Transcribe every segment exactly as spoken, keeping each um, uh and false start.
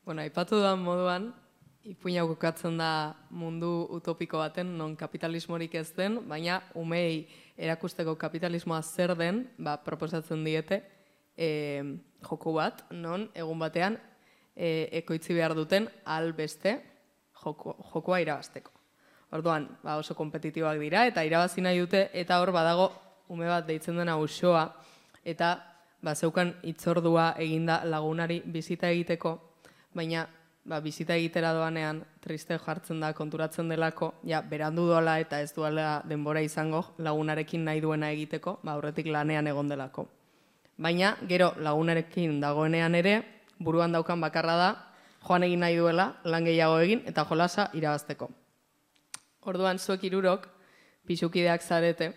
Bueno, aipatu duan moduan, ipuina kokatzen da mundu utopiko baten, non kapitalismorik ez den, baina umei erakusteko kapitalismoa zer den, ba, proposatzen diete e, joko bat, non egun batean e, ekoitzi behar duten albeste joko, jokoa irabazteko. Orduan, ba, oso kompetitiboak dira, eta irabazi nahi dute, eta hor badago ume bat deitzen dena Uxoa, eta ba, zeukan hitzordua eginda lagunari bizita egiteko, baina ba, bizita egitera doanean triste jartzen da, konturatzen delako, ja, berandu doala eta ez duela denbora izango lagunarekin nahi duena egiteko, ba, aurretik lanean egon delako. Baina, gero lagunarekin dagoenean ere, buruan daukan bakarra da, joan egin nahi duela, lan gehiago egin, eta jolasa irabazteko. Orduan, zuek hirurok, pixukideak zarete,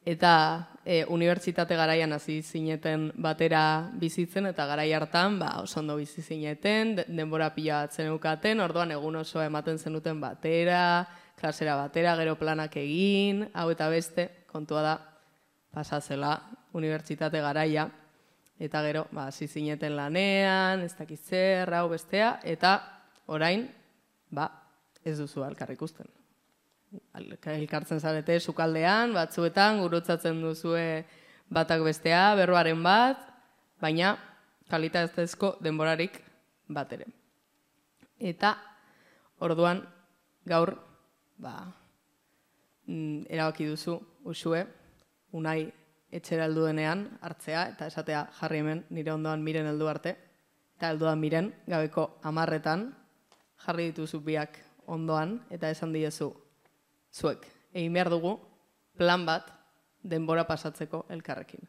eta e, unibertsitate garaian hasi zineten batera bizitzen, eta garai hartan ba, oso ondo bizi zineten, denbora pila bat zeneukaten, orduan egun oso ematen zenuten batera, klasera batera, gero planak egin, hau eta beste, kontua da, pasazela unibertsitate garaia, eta gero ba, hasi zineten lanean, ez dakiz zer, hau bestea, eta orain, ba, ez duzu elkar ikusten. Elkartzen zarete sukaldean, batzuetan, gurutzatzen duzue batak bestea, berroaren bat, baina kalitatezko denborarik bat ere. Eta orduan gaur ba, erabaki duzu Uxue, Unai etxera heldu denean hartzea, eta esatea jarri hemen nire ondoan miren heldu arte, eta helduan miren gabeko hamarretan jarri dituzu biak ondoan, eta esan diezu, zuek, egin behar dugu plan bat denbora pasatzeko elkarrekin.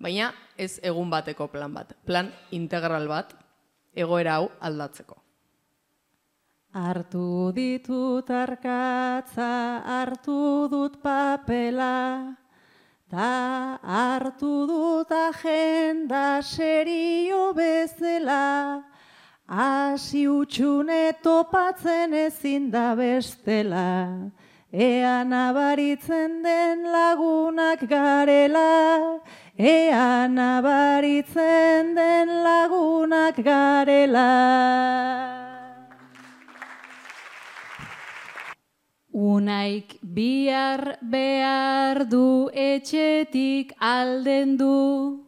Baina ez egun bateko plan bat, plan integral bat egoera hau aldatzeko. Hartu ditut arkatza, hartu dut papela, ta hartu dut agenda serio bezala, hasi utxune topatzen ezin da bestela, ea nabaritzen den lagunak garela, ea nabaritzen den lagunak garela. Unaik bihar behar du etxetik alden du,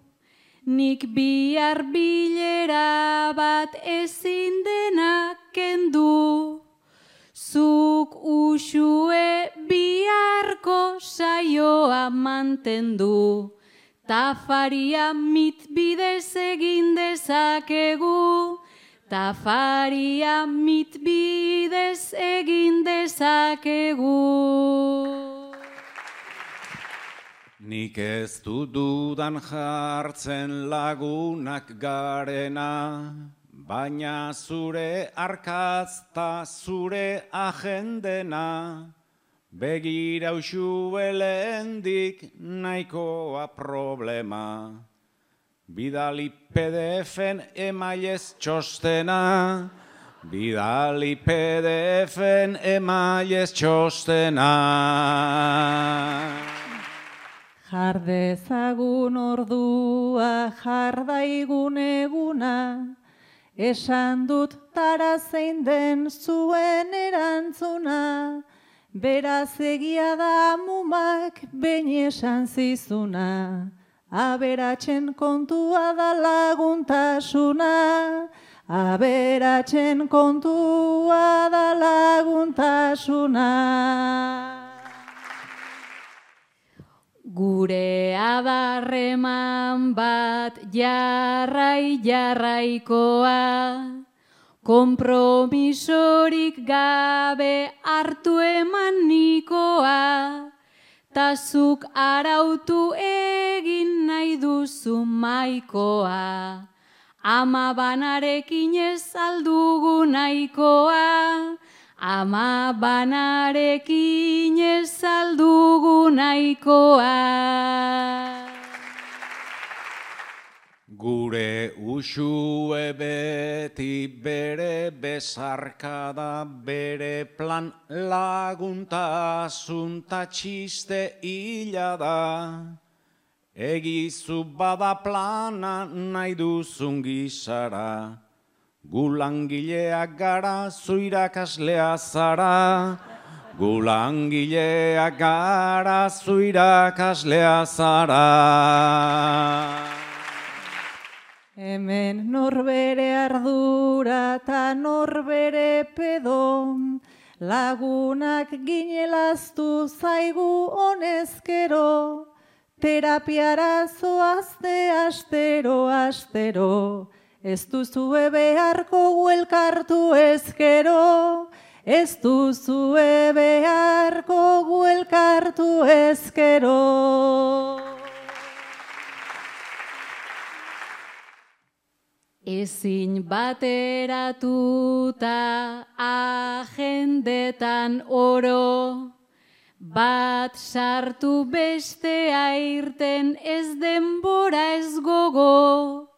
nik bihar bilera bat ezin denak kendu. Zuk Uxue biharko saioa mantendu, tafaria mitbidez egin dezakegu, tafaria mitbidez egin dezakegu. Nik ez du dudan jartzen lagunak garena, baina zure arkazta zure agendena, begira Uxue lehendik nahikoa problema. Bidali P D F-en emailez txostena, bidali P D F-en emailez txostena. Jar dezagun ordua, jar daigun eguna, esan dut tara zein den zuen erantzuna, beraz egia da amumak behin esan zizuna, aberatsen kontua da laguntasuna, aberatsen kontua da laguntasuna. Gure adarreman bat jarrai jarraikoa, konpromisorik gabe hartu eman nikoa, tazuk arautu egin nahi duzu maikoa, ama banarekin ez aldugu nahikoa, ama banarekin ez aldugu nahikoa. Gure Uxue beti bere bezarkada, bere plan laguntasun ta txiste hila da. Egizu bada plana nahi duzun gizara, Gu langileak gara, zu irakaslea zara. Gu langileak gara, zu irakaslea zara. Hemen norbere ardura eta norbere pedo, lagunak ginelaztu zaigu honezkero, terapiara zoazte astero, astero, ez duzue beharko guelkartu ezkero, ez duzue beharko guelkartu ezkero. Ezin bateratuta agendetan oro, bat sartu bestea irten ez denbora ez gogo,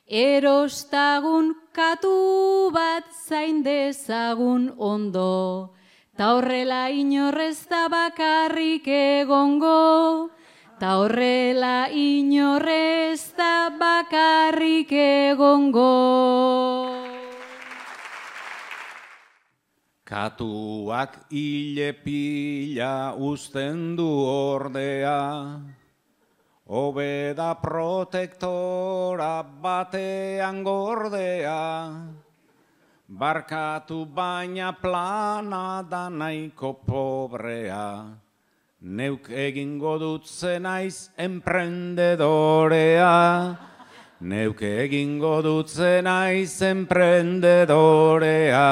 erostagun katu bat zain dezagun ondo, ta horrela inorrez da bakarrik egongo, ta horrela inorrez da bakarrik egongo. Katuak hile pila uzten du ordea, hobe da protektora batean gordea, barkatu baina plana da nahiko pobrea, neuk egingo dut zenaiz emprendedorea, neuk egingo dut zenaiz emprendedorea.